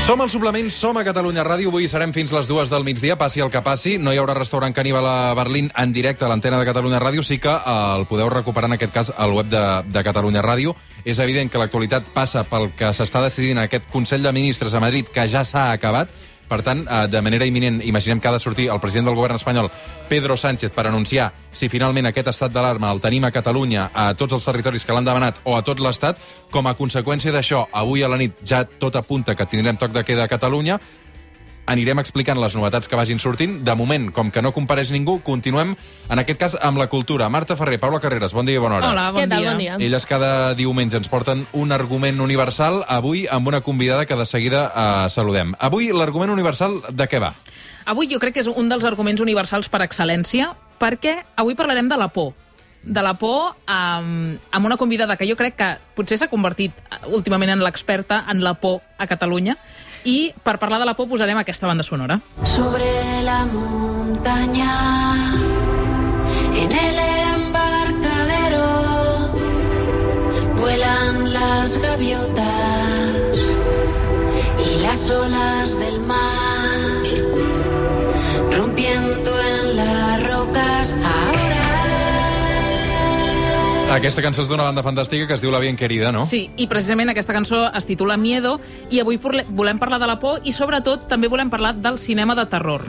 Som al Suplement, som a Catalunya Ràdio. Avui serem fins les 2 del migdia, passi el que passi. No hi haurà restaurant caníbal a Berlín en directe a l'antena de Catalunya Ràdio. Sí que el podeu recuperar, en aquest cas, al web de Catalunya Ràdio. És evident que l'actualitat passa pel que s'està decidint en aquest Consell de Ministres a Madrid, que ja s'ha acabat. Per tant, de manera imminent, imaginem que ha de sortir el president del govern espanyol, Pedro Sánchez, per anunciar si finalment aquest estat d'alarma el tenim a Catalunya, a tots els territoris que l'han demanat o a tot l'Estat. Com a conseqüència d'això, avui a la nit ja tot apunta que tindrem toc de queda a Catalunya. Anirem explicant les novetats que vagin sortint. De moment, com que no compareix ningú, continuem, en aquest cas, amb la cultura. Marta Ferrer, Paula Carreras, bon dia i bona hora. Hola, bon dia. Bon dia. Elles cada diumenge ens porten un argument universal, avui amb una convidada que de seguida saludem. Avui l'argument universal de què va? Avui jo crec que és un dels arguments universals per excel·lència, perquè avui parlarem de la por. De la por amb una convidada que jo crec que potser s'ha convertit últimament en l'experta en la por a Catalunya. I per parlar de la por posarem aquesta banda sonora. Sobre la montaña, en el embarcadero, vuelan las gaviotas y las olas del mar, rompiendo en las rocas ahora. Aquesta cançó és d'una banda fantàstica que es diu La Bien Querida, no? Sí, i precisament aquesta cançó es titula Miedo, i avui volem parlar de la por i sobretot també volem parlar del cinema de terror.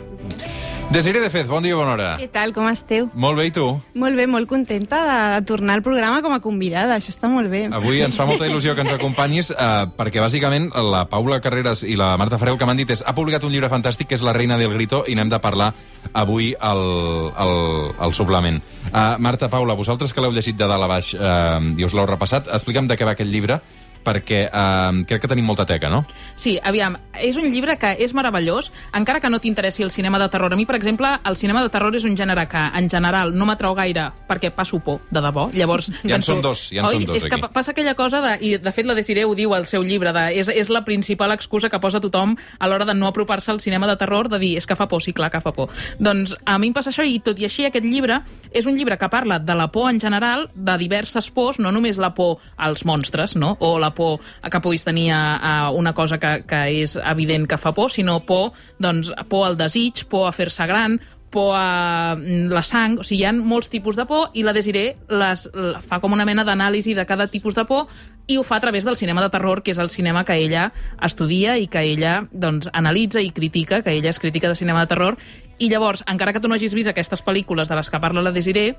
Desiree de Fez, bon dia i bona hora. Què tal, com esteu? Molt bé, i tu? Molt bé, molt contenta de tornar al programa com a convidada, això està molt bé. Avui ens fa molta il·lusió que ens acompanyis perquè bàsicament la Paula Carreras i la Marta Ferrer el que m'han dit és ha publicat un llibre fantàstic que és La Reina del Grito i n'hem de parlar avui al suplement. Marta, Paula, vosaltres que l'heu llegit de dalt a baix i us l'heu repassat, explica'm de què va aquest llibre, perquè crec que tenim molta teca, no? Sí, aviam, és un llibre que és meravellós, encara que no t'interessi el cinema de terror. A mi, per exemple, el cinema de terror és un gènere que, en general, no m'atrau gaire perquè passo por, de debò. Llavors, ja en són dos, és que passa aquella cosa i de fet la Desiree ho diu al seu llibre, és la principal excusa que posa tothom a l'hora de no apropar-se al cinema de terror, de dir, és que fa por, sí, clar que fa por. Doncs a mi em passa això, i tot i així aquest llibre és un llibre que parla de la por en general, de diverses pors, no només la por als monstres, no? O la por que puguis tenir a una cosa que és evident que fa por, sinó por al desig, por a fer-se gran, por a la sang. O sigui, hi ha molts tipus de por i la Desiree fa com una mena d'anàlisi de cada tipus de por i ho fa a través del cinema de terror, que és el cinema que ella estudia i que ella analitza i critica, que ella és crítica de cinema de terror. I llavors, encara que tu no hagis vist aquestes pel·lícules de les que parla la Desiree,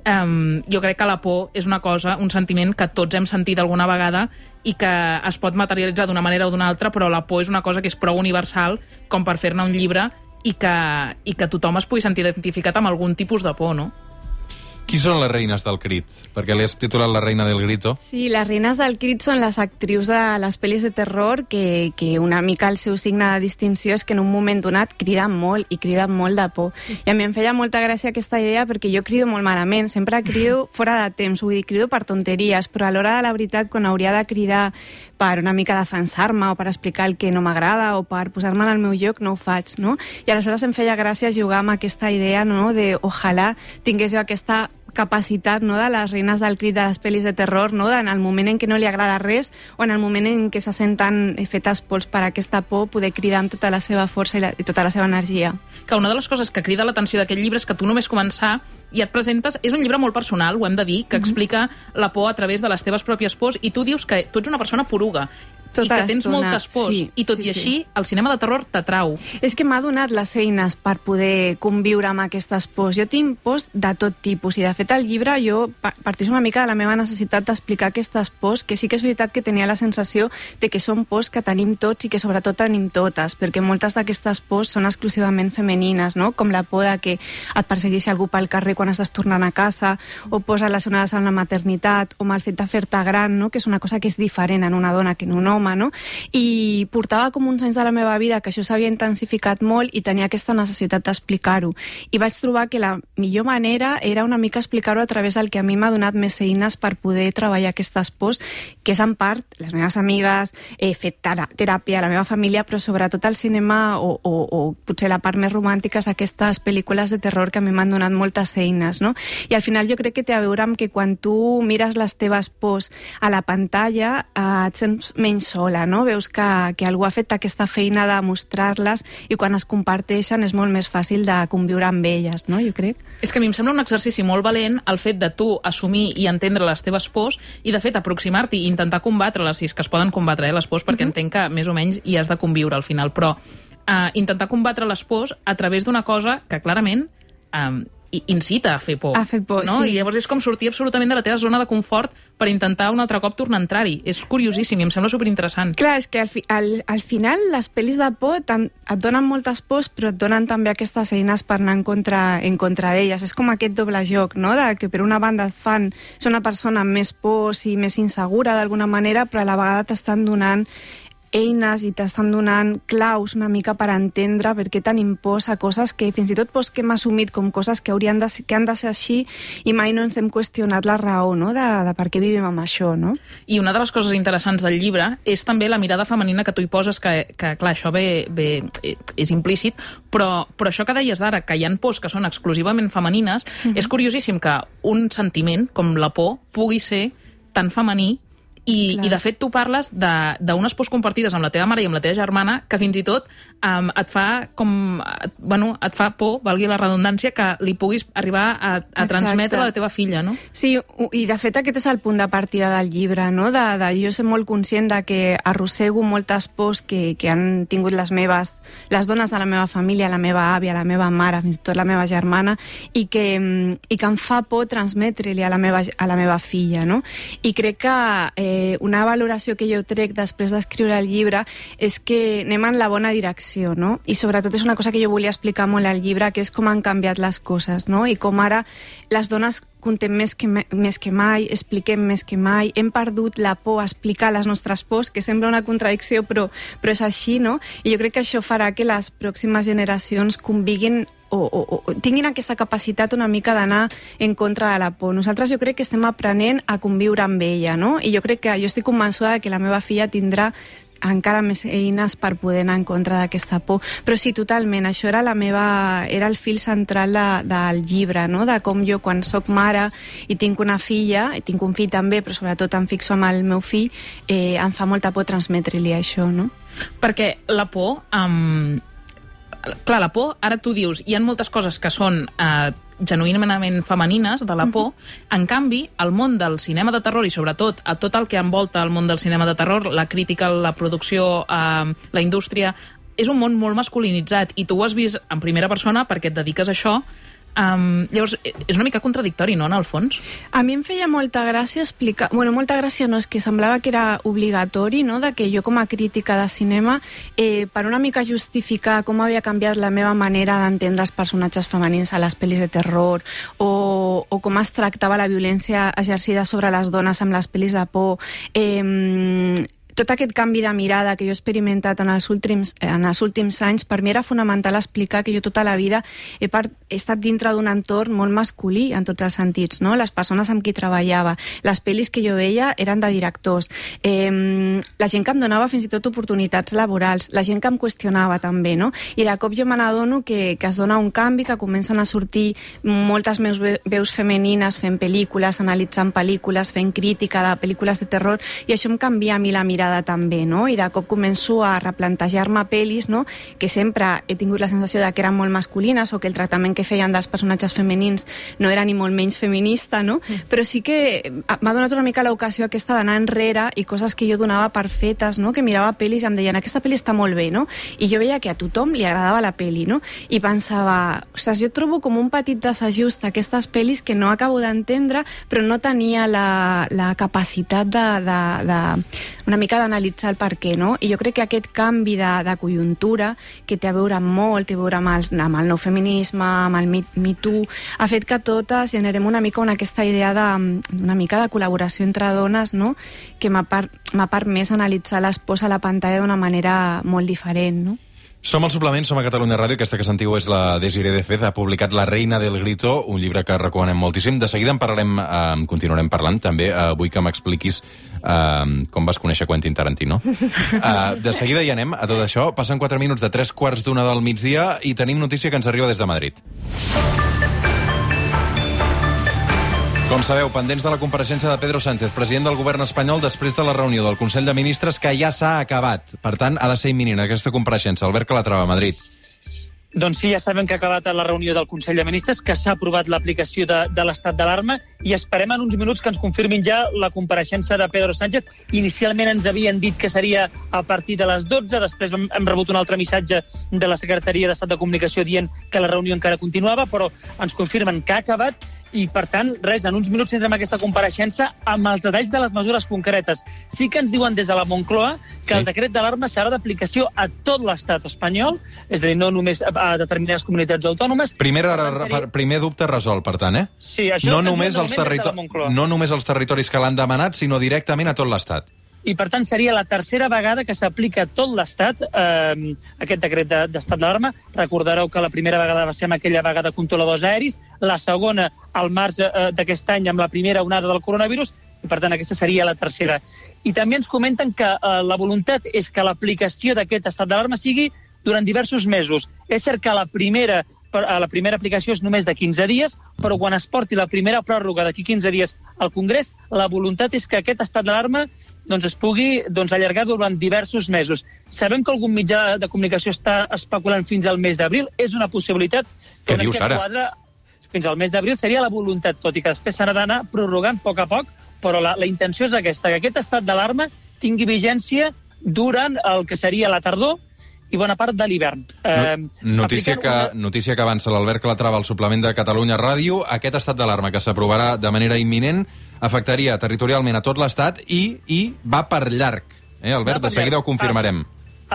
jo crec que la por és una cosa, un sentiment que tots hem sentit alguna vegada i que es pot materialitzar d'una manera o d'una altra, però la por és una cosa que és prou universal com per fer-ne un llibre i que tothom es pugui sentir identificat amb algun tipus de por, no? Qui són les reines del crit? Perquè li has titulat La Reina del Grito. Sí, les reines del crit són les actrius de les pel·lis de terror que una mica el seu signe de distinció és que en un moment donat criden molt i criden molt de por. I a mi em feia molta gràcia aquesta idea perquè jo crido molt malament, sempre crido fora de temps, vull dir, crido per tonteries, però a l'hora de la veritat, quan hauria de cridar per una mica defensar-me o per explicar el que no m'agrada o per posar-me en el meu lloc, no ho faig, no? I aleshores em feia gràcia jugar amb aquesta idea, no?, de ojalà tingués jo aquesta capacitat, no?, de les reines del crit de les pel·lis de terror, no?, en el moment en què no li agrada res o en el moment en què se senten fetes pols per aquesta por, poder cridar amb tota la seva força i tota la seva energia. Que una de les coses que crida l'atenció d'aquest llibre és que tu només començar i et presentes, és un llibre molt personal, ho hem de dir, que explica la por a través de les teves pròpies pors, i tu dius que tu ets una persona poruga i que tens moltes pors, sí, i tot i així el cinema de terror t'atrau. És que m'ha donat les eines per poder conviure amb aquestes pors. Jo tinc pors de tot tipus i de fet al llibre jo partís una mica de la meva necessitat d'explicar aquestes pors, que sí que és veritat que tenia la sensació de que són pors que tenim tots i que sobretot tenim totes, perquè moltes d'aquestes pors són exclusivament femenines, no?, com la por de que et persegueixi algú pel carrer quan estàs tornant a casa, o pors relacionades amb la maternitat o amb el fet de fer-te gran, no?, que és una cosa que és diferent en una dona que en un home, no? I portava com uns anys de la meva vida que això s'havia intensificat molt i tenia aquesta necessitat d'explicar-ho. I vaig trobar que la millor manera era una mica explicar-ho a través del que a mi m'ha donat més eines per poder treballar aquestes pors, que és en part les meves amigues, he fet teràpia, la meva família, però sobretot el cinema o potser la part més romàntica és aquestes pel·lícules de terror que a mi m'han donat moltes eines, no? I al final jo crec que té a veure amb que quan tu mires les teves pors a la pantalla et sents menys menys sola, no? Veus que algú ha fet aquesta feina de mostrar-les i quan es comparteixen és molt més fàcil de conviure amb elles, no? Jo crec. És que a mi em sembla un exercici molt valent el fet de tu assumir i entendre les teves pors i, de fet, aproximar-t'hi i intentar combatre-les, si és que es poden combatre, les pors, perquè entenc que més o menys hi has de conviure al final, però intentar combatre les pors a través d'una cosa que clarament incita a fer por. A fer por, no? sí. I llavors és com sortir absolutament de la teva zona de confort per intentar un altre cop tornar a entrar-hi. És curiosíssim i em sembla superinteressant. Clar, és que al final les pel·lis de por et donen moltes pors, però et donen també aquestes eines per anar en contra d'elles. És com aquest doble joc, no? De que per una banda et fan ser una persona amb més pors i més insegura d'alguna manera, però a la vegada t'estan donant eines i t'estan donant claus una mica per entendre per què tenim pors a coses que fins i tot pors que hem assumit com coses que han de ser així i mai no ens hem qüestionat la raó, no? de per què vivim amb això, no? I una de les coses interessants del llibre és també la mirada femenina que tu hi poses, que clar, això és implícit, però això que deies d'ara, que hi ha pors que són exclusivament femenines, és curiosíssim que un sentiment com la por pugui ser tan femení. I de fet tu parles d'unes pors compartides amb la teva mare i amb la teva germana que fins i tot et fa et fa por, valgui la redundància, que li puguis arribar a transmetre a la teva filla, no? Sí, i de fet aquest és el punt de partida del llibre, no? Jo soc molt conscient de que arrossego moltes pors que han tingut les dones de la meva família, la meva àvia, la meva mare, fins i tot la meva germana, i que em fa por transmetre-li a la meva filla, no? I crec que una valoració que jo trec després d'escriure el llibre és que anem en la bona direcció, no? I sobretot és una cosa que jo volia explicar molt al llibre, que és com han canviat les coses, no? I com ara les dones contem més que mai, expliquem més que mai, hem perdut la por a explicar les nostres pors, que sembla una contradicció, però és així, no? I jo crec que això farà que les pròximes generacions conviguin o tinguin aquesta capacitat una mica d'anar en contra de la por. Nosaltres jo crec que estem aprenent a conviure amb ella, no? I jo crec que jo estic convençuda que la meva filla tindrà encara més eines per poder anar en contra d'aquesta por. Però sí, totalment, això era el fil central del llibre, no? De com jo, quan soc mare i tinc una filla, i tinc un fill també, però sobretot em fixo amb el meu fill, em fa molta por transmetre-li això, no? Perquè la por... Clar, la por, ara tu dius, hi ha moltes coses que són genuïnament femenines de la por, en canvi, el món del cinema de terror i sobretot a tot el que envolta el món del cinema de terror, la crítica, la producció, la indústria, és un món molt masculinitzat i tu ho has vist en primera persona perquè et dediques a això. Llavors, és una mica contradictori, no, en el fons? A mi em feia molta gràcia explicar... Bueno, molta gràcia no, és que semblava que era obligatori, no?, de que jo com a crítica de cinema, per una mica justificar com havia canviat la meva manera d'entendre els personatges femenins a les pel·lis de terror o com es tractava la violència exercida sobre les dones amb les pel·lis de por... Tot aquest canvi de mirada que jo he experimentat en els últims anys, per mi era fonamental explicar que jo tota la vida he estat dintre d'un entorn molt masculí en tots els sentits, no? Les persones amb qui treballava, les pel·lis que jo veia eren de directors, la gent que em donava fins i tot oportunitats laborals, la gent que em qüestionava també, no? I de cop jo me n'adono que es dona un canvi, que comencen a sortir moltes veus femenines fent pel·lícules, analitzant pel·lícules, fent crítica de pel·lícules de terror, i això em canvia a mi la mirada també, no? I de cop començo a replantejar-me pel·lis, no?, que sempre he tingut la sensació de que eren molt masculines o que el tractament que feien dels personatges femenins no era ni molt menys feminista, no? Però sí que m'ha donat una mica l'ocasió aquesta d'anar enrere i coses que jo donava per fetes, no?, que mirava pel·lis i em deien, aquesta pel·li està molt bé, no? I jo veia que a tothom li agradava la pel·li, no? I pensava, ostres, jo trobo com un petit desajust aquestes pel·lis que no acabo d'entendre, però no tenia la capacitat una mica d'analitzar el per què, no? I jo crec que aquest canvi de conjuntura, que té a veure molt, té a veure amb el nou feminisme, amb el Me Too, ha fet que totes generem una mica aquesta idea d'una mica de col·laboració entre dones, no?, que m'ha permès analitzar les pors a la pantalla d'una manera molt diferent, no? Som al Suplement, som a Catalunya Ràdio. Aquesta que sentiu és la Desiree de Fez. Ha publicat La reina del grito, un llibre que recomanem moltíssim. De seguida continuarem parlant, també. Vull que m'expliquis com vas conèixer Quentin Tarantino. De seguida hi anem a tot això. Passen 4 minuts de 3:45 del migdia i tenim notícia que ens arriba des de Madrid. Com sabeu, pendents de la compareixença de Pedro Sánchez, president del govern espanyol, després de la reunió del Consell de Ministres, que ja s'ha acabat. Per tant, ha de ser imminent aquesta compareixença. Albert Calatrava, a Madrid. Doncs sí, ja sabem que ha acabat la reunió del Consell de Ministres, que s'ha aprovat l'aplicació de l'estat d'alarma i esperem en uns minuts que ens confirmin ja la compareixença de Pedro Sánchez. Inicialment ens havien dit que seria a partir de les 12, després hem rebut un altre missatge de la Secretaria d'Estat de Comunicació dient que la reunió encara continuava, però ens confirmen que ha acabat i, per tant, res, en uns minuts tindrem aquesta compareixença amb els detalls de les mesures concretes. Sí que ens diuen des de la Moncloa que el decret d'alarma serà d'aplicació a tot l'estat espanyol, és a dir, no només a determinades comunitats autònomes. Primer dubte resolt, per tant, eh? Sí, això no només els territoris que l'han demanat, sinó directament a tot l'estat. I, per tant, seria la tercera vegada que s'aplica a tot l'Estat aquest decret d'estat d'alarma. Recordareu que la primera vegada va ser amb aquella vaga de controladors aeris, la segona al març d'aquest any amb la primera onada del coronavirus, i, per tant, aquesta seria la tercera. I també ens comenten que la voluntat és que l'aplicació d'aquest estat d'alarma sigui durant diversos mesos. És cert que la primera aplicació és només de 15 dies, però quan es porti la primera pròrroga d'aquí 15 dies al Congrés, la voluntat és que aquest estat d'alarma es pugui allargar durant diversos mesos. Sabem que algun mitjà de comunicació està especulant fins al mes d'abril. És una possibilitat. Què dius ara? Fins al mes d'abril seria la voluntat, tot i que després s'ha d'anar prorrogant a poc, però la intenció és aquesta, que aquest estat d'alarma tingui vigència durant el que seria la tardor i bona part de l'hivern. Notícia que avança l'Albert Calatrava al suplement de Catalunya Ràdio. Aquest estat d'alarma que s'aprovarà de manera imminent afectaria territorialment a tot l'Estat i va per llarg. Albert, de seguida ho confirmarem.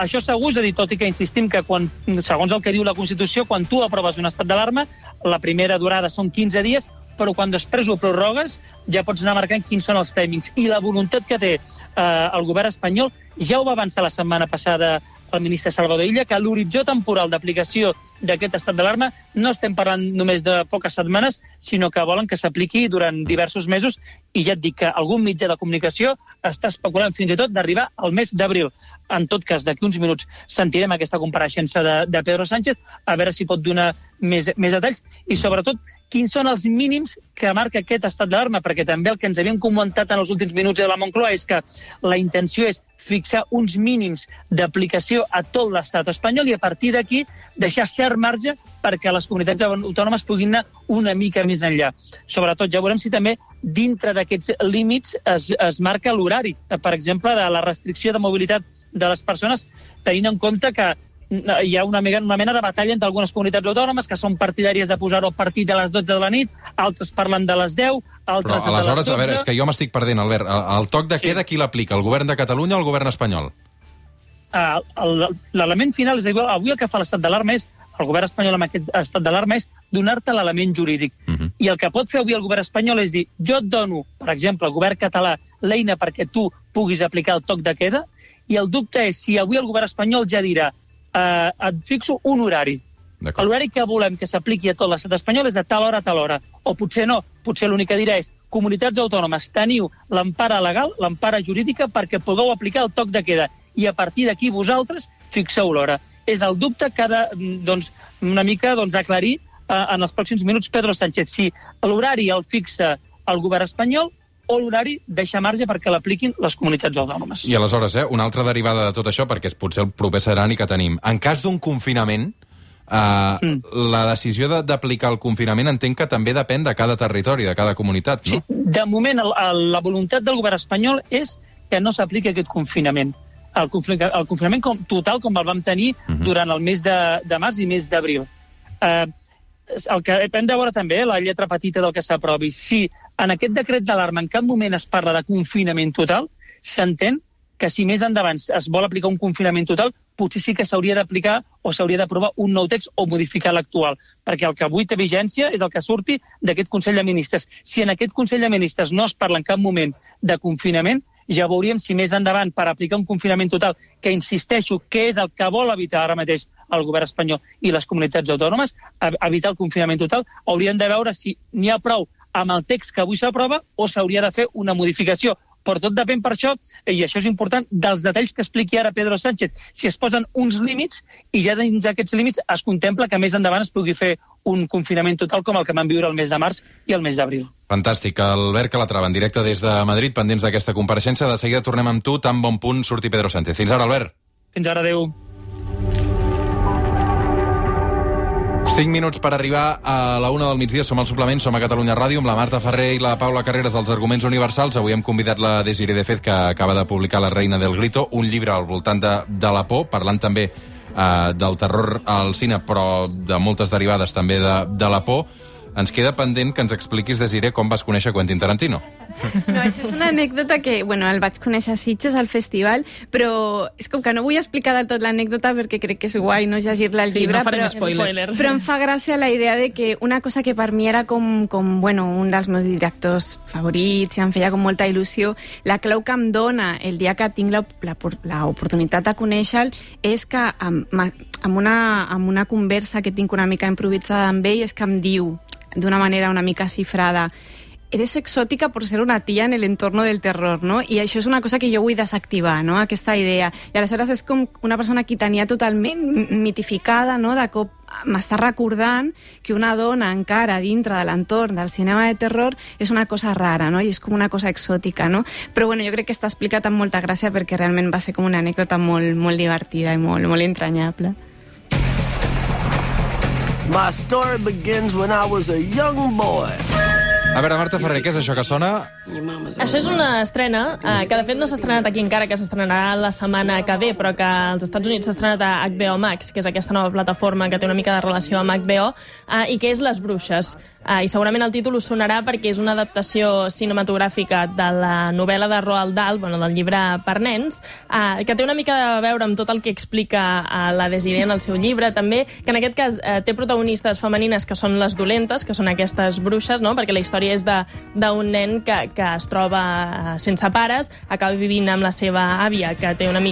Això segur, és a dir, tot i que insistim que segons el que diu la Constitució, quan tu aproves un estat d'alarma, la primera durada són 15 dies, però quan després ho prorrogues ja pots anar marcant quins són els timings. I la voluntat que té el govern espanyol ja ho va avançar la setmana passada el ministre Salvador Illa, que l'horitzó temporal d'aplicació d'aquest estat d'alarma no estem parlant només de poques setmanes, sinó que volen que s'apliqui durant diversos mesos, i ja et dic que algun mitjà de comunicació està especulant fins i tot d'arribar al mes d'abril. En tot cas, d'aquí uns minuts sentirem aquesta compareixença de Pedro Sánchez, a veure si pot donar més detalls, i sobretot quins són els mínims que marca aquest estat d'alarma, perquè també el que ens havien comentat en els últims minuts de la Moncloa és que la intenció és fixar uns mínims d'aplicació a tot l'estat espanyol i a partir d'aquí deixar cert marge perquè les comunitats autònomes puguin anar una mica més enllà. Sobretot, ja veurem si també dintre d'aquests límits es marca l'horari, per exemple, de la restricció de mobilitat de les persones, tenint en compte que hi ha una mena de batalla entre algunes comunitats autònomes que són partidàries de posar-ho a partir de les 12 de la nit, altres parlen de les 10, altres de les 12. Aleshores, a veure, és que jo m'estic perdent, Albert. El toc de queda, qui l'aplica? El govern de Catalunya o el govern espanyol? L'element final, és a dir, avui el que fa l'estat d'alarma és, el govern espanyol amb aquest estat d'alarma és donar-te l'element jurídic. I el que pot fer avui el govern espanyol és dir, jo et dono, per exemple, al govern català, l'eina perquè tu puguis aplicar el toc de queda, i el dubte és si avui el govern espanyol ja dirà et fixo un horari. L'horari que volem que s'apliqui a tot l'estat espanyol és de tal hora a tal hora. O potser no, potser l'únic que dirà és comunitats autònomes, teniu l'empara legal, l'empara jurídica perquè pugueu aplicar el toc de queda i a partir d'aquí vosaltres fixeu l'hora. És el dubte que ha de, una mica aclarir en els pròxims minuts Pedro Sánchez, si l'horari el fixa el govern espanyol o l'horari deixa marge perquè l'apliquin les comunitats autònomes. I aleshores, una altra derivada de tot això, perquè és potser el proper serani que tenim. En cas d'un confinament, la decisió d'aplicar el confinament entenc que també depèn de cada territori, de cada comunitat, no? Sí, de moment la voluntat del govern espanyol és que no s'apliqui aquest confinament. El confinament total com el vam tenir durant el mes de març i mes d'abril. El que hem de veure també, la lletra petita del que s'aprovi, si en aquest decret d'alarma en cap moment es parla de confinament total, s'entén que si més endavant es vol aplicar un confinament total, potser sí que s'hauria d'aplicar o s'hauria d'aprovar un nou text o modificar l'actual, perquè el que avui té vigència és el que surti d'aquest Consell de Ministres. Si en aquest Consell de Ministres no es parla en cap moment de confinament, ja veuríem si més endavant per aplicar un confinament total, que insisteixo que és el que vol evitar ara mateix el govern espanyol i les comunitats autònomes, evitar el confinament total, haurien de veure si n'hi ha prou amb el text que avui s'aprova o s'hauria de fer una modificació però tot depèn per això, i això és important, dels detalls que expliqui ara Pedro Sánchez. Si es posen uns límits, i ja dins d'aquests límits es contempla que més endavant es pugui fer un confinament total com el que vam viure el mes de març i el mes d'abril. Fantàstic. Albert Calatrava, en directe des de Madrid, pendents d'aquesta compareixença. De seguida tornem amb tu, tan bon punt surti Pedro Sánchez. Fins ara, Albert. Fins ara, adeu. 5 minuts per arribar a la 1 del migdia. Som al suplement, som a Catalunya Ràdio, amb la Marta Ferrer i la Paula Carreras, als Arguments Universals. Avui hem convidat la Desiree de Fez, que acaba de publicar La reina del grito, un llibre al voltant de la por, parlant també del terror al cine, però de moltes derivades també de la por. Ens queda pendent que ens expliquis, Desiree, com vas conèixer Quentin Tarantino. No, això és una anècdota que, bueno, el vaig conèixer a Sitges, al festival, però és com que no vull explicar del tot l'anècdota perquè crec que és guai no llegir-la al llibre, no farem spoilers. Però em fa gràcia la idea de que una cosa que per mi era com bueno, un dels meus directors favorits, i em feia com molta il·lusió, la clau que em dona el dia que tinc l'oportunitat de conèixer-lo és que amb una conversa que tinc una mica improvisada amb ell, és que em diu d'una manera una mica xifrada: eres exòtica por ser una tía en el entorno del terror, no? I això és una cosa que jo vull desactivar, no? Aquesta idea. I aleshores és com una persona que tenia totalment mitificada, no? De cop m'està recordant que una dona encara dintre de l'entorn del cinema de terror és una cosa rara, no? I és com una cosa exòtica, no? Però bueno, jo crec que està explicat amb molta gràcia perquè realment va ser com una anècdota molt, molt divertida i molt, molt entranyable. My story begins when I was a young boy. A veure, Marta Ferrer, què és això que sona? Això és una estrena que de fet no s'ha estrenat aquí encara, que s'estrenarà la setmana que ve, però que als Estats Units s'ha estrenat a HBO Max, que és aquesta nova plataforma que té una mica de relació amb HBO, i que és Les Bruixes. I segurament el títol us sonarà perquè és una adaptació cinematogràfica de la novel·la de Roald Dahl, del llibre per nens, que té una mica de veure amb tot el que explica la Desiree en el seu llibre, també, que en aquest cas té protagonistes femenines que són les dolentes, que són aquestes bruixes, no? Perquè la història és d'un nen que es troba sense pares, acaba vivint amb la seva àvia, que té és una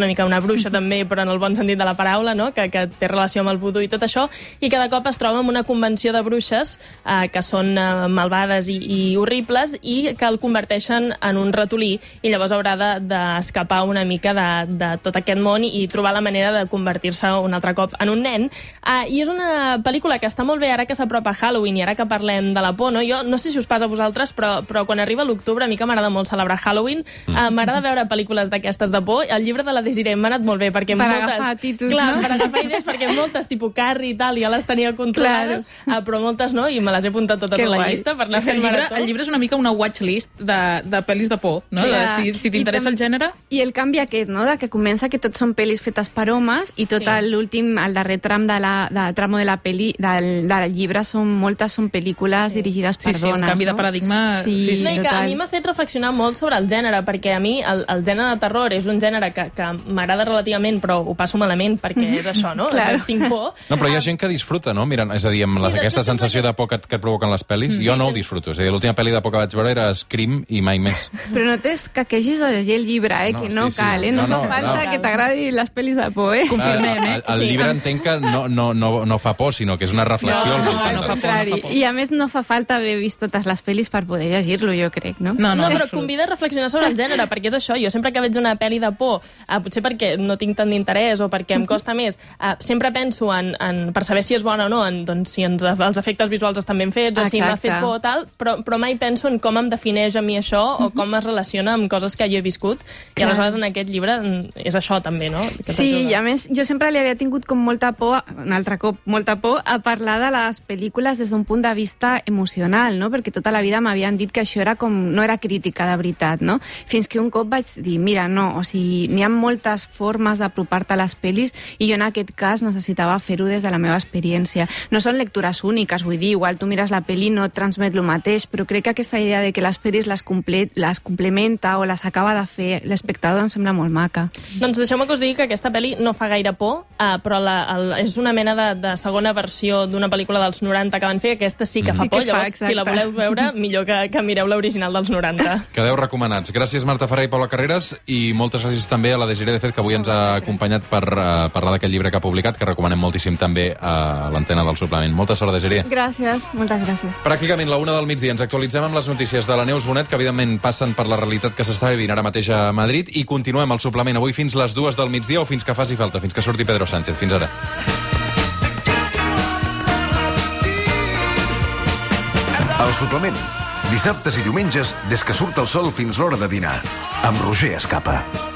mica una bruixa també, però en el bon sentit de la paraula, no? Que té relació amb el vudú i tot això, i cada cop es troba en una convenció de bruixes que són malvades i horribles, i que el converteixen en un ratolí, i llavors haurà d'escapar una mica de tot aquest món i trobar la manera de convertir-se un altre cop en un nen. I és una pel·lícula que està molt bé ara que s'apropa Halloween i ara que parlem de la por, no? Jo no sé si us passa a vosaltres, però quan arriba l'octubre a mi que m'agrada molt celebrar Halloween, m'agrada veure pel·lícules d'aquestes de por. El llibre de la Desiree m'ha anat molt bé perquè agafar títols, clar, no? per agafar idees, perquè moltes, tipus Carrie i tal, ja les tenia controlades, però moltes no, i me les he apuntat totes a la llista per anar fent marató. El llibre és una mica una watchlist de pel·lis de por, no? Si t'interessa el gènere. I el canvi aquest, no? De que comença que tot són pel·lis fetes per homes i tot l'últim, el darrer tram tramo de la pel·li, del llibre, moltes són pel·lícules dirigides per dones. Un canvi de paradigma. Sí, que a mi m'ha fet reflexionar molt sobre el gènere, perquè a mi el gènere de terror és un gènere que m'agrada relativament, però ho passo malament, perquè és això, no? Tinc por. No, però hi ha gent que disfruta, no? Mirant, és a dir, amb aquesta sensació de por que et provoquen les pel·lis, jo no ho disfruto. És a dir, l'última pel·li de por que vaig veure era Scream i mai més. Però no t'escaquegis a llegir el llibre, que no cal, no fa falta que t'agradi les pel·lis de por, Confirmem, El llibre entenc que no fa por, sinó que és una reflexió. No fa por. I a més no fa falta haver vist totes les pel·lis per poder llegir-lo, jo crec, no? No, però convida a reflexionar sobre el gènere, perquè és això, jo sempre que veig una pel·li de por, potser perquè no tinc tant d'interès o perquè em costa més, sempre penso per saber si és bona o no, si els efectes visuals estan ben fets, o si m'ha fet por o tal, però mai penso en com em defineix a mi això o com es relaciona amb coses que jo he viscut, i aleshores en aquest llibre és això també, no? Sí, i a més jo sempre li havia tingut com molta por, un altre cop, molta por a parlar de les pel·lícules des d'un punt de vista emocional, no? Perquè tota la vida m'havien dit que això era no era crítica de veritat, no? Fins que un cop vaig dir, mira, no, o sigui, n'hi ha moltes formes d'apropar-te a les pel·lis i jo en aquest cas necessitava fer-ho des de la meva experiència. No són lectures úniques, vull dir, igual tu mires la pel·li i no et transmet el mateix, però crec que aquesta idea de que les pel·lis les complementa o les acaba de fer l'espectador em sembla molt maca. Doncs deixeu-me que us digui que aquesta pel·li no fa gaire por, però és una mena de segona versió d'una pel·lícula dels 90 que van fer, aquesta sí que fa por. Llavors, Exacte. si la voleu veure, millor que mireu l'original dels 90. Quedeu recomanats. Gràcies, Marta Ferrer i Paula Carreras, i moltes gràcies també a la Desiree de Fet, que avui ens ha acompanyat per parlar d'aquest llibre que ha publicat, que recomanem moltíssim també a l'antena del suplement. Molta sort, Desiree. Gràcies, moltes gràcies. Pràcticament la 1 del migdia ens actualitzem amb les notícies de la Neus Bonet, que evidentment passen per la realitat que s'està vivint ara mateix a Madrid, i continuem el suplement avui fins les 2 del migdia o fins que faci falta, fins que surti Pedro Sánchez. Fins ara. El suplement. Dissabtes i diumenges, des que surt el sol fins l'hora de dinar. Amb Roger Escapa.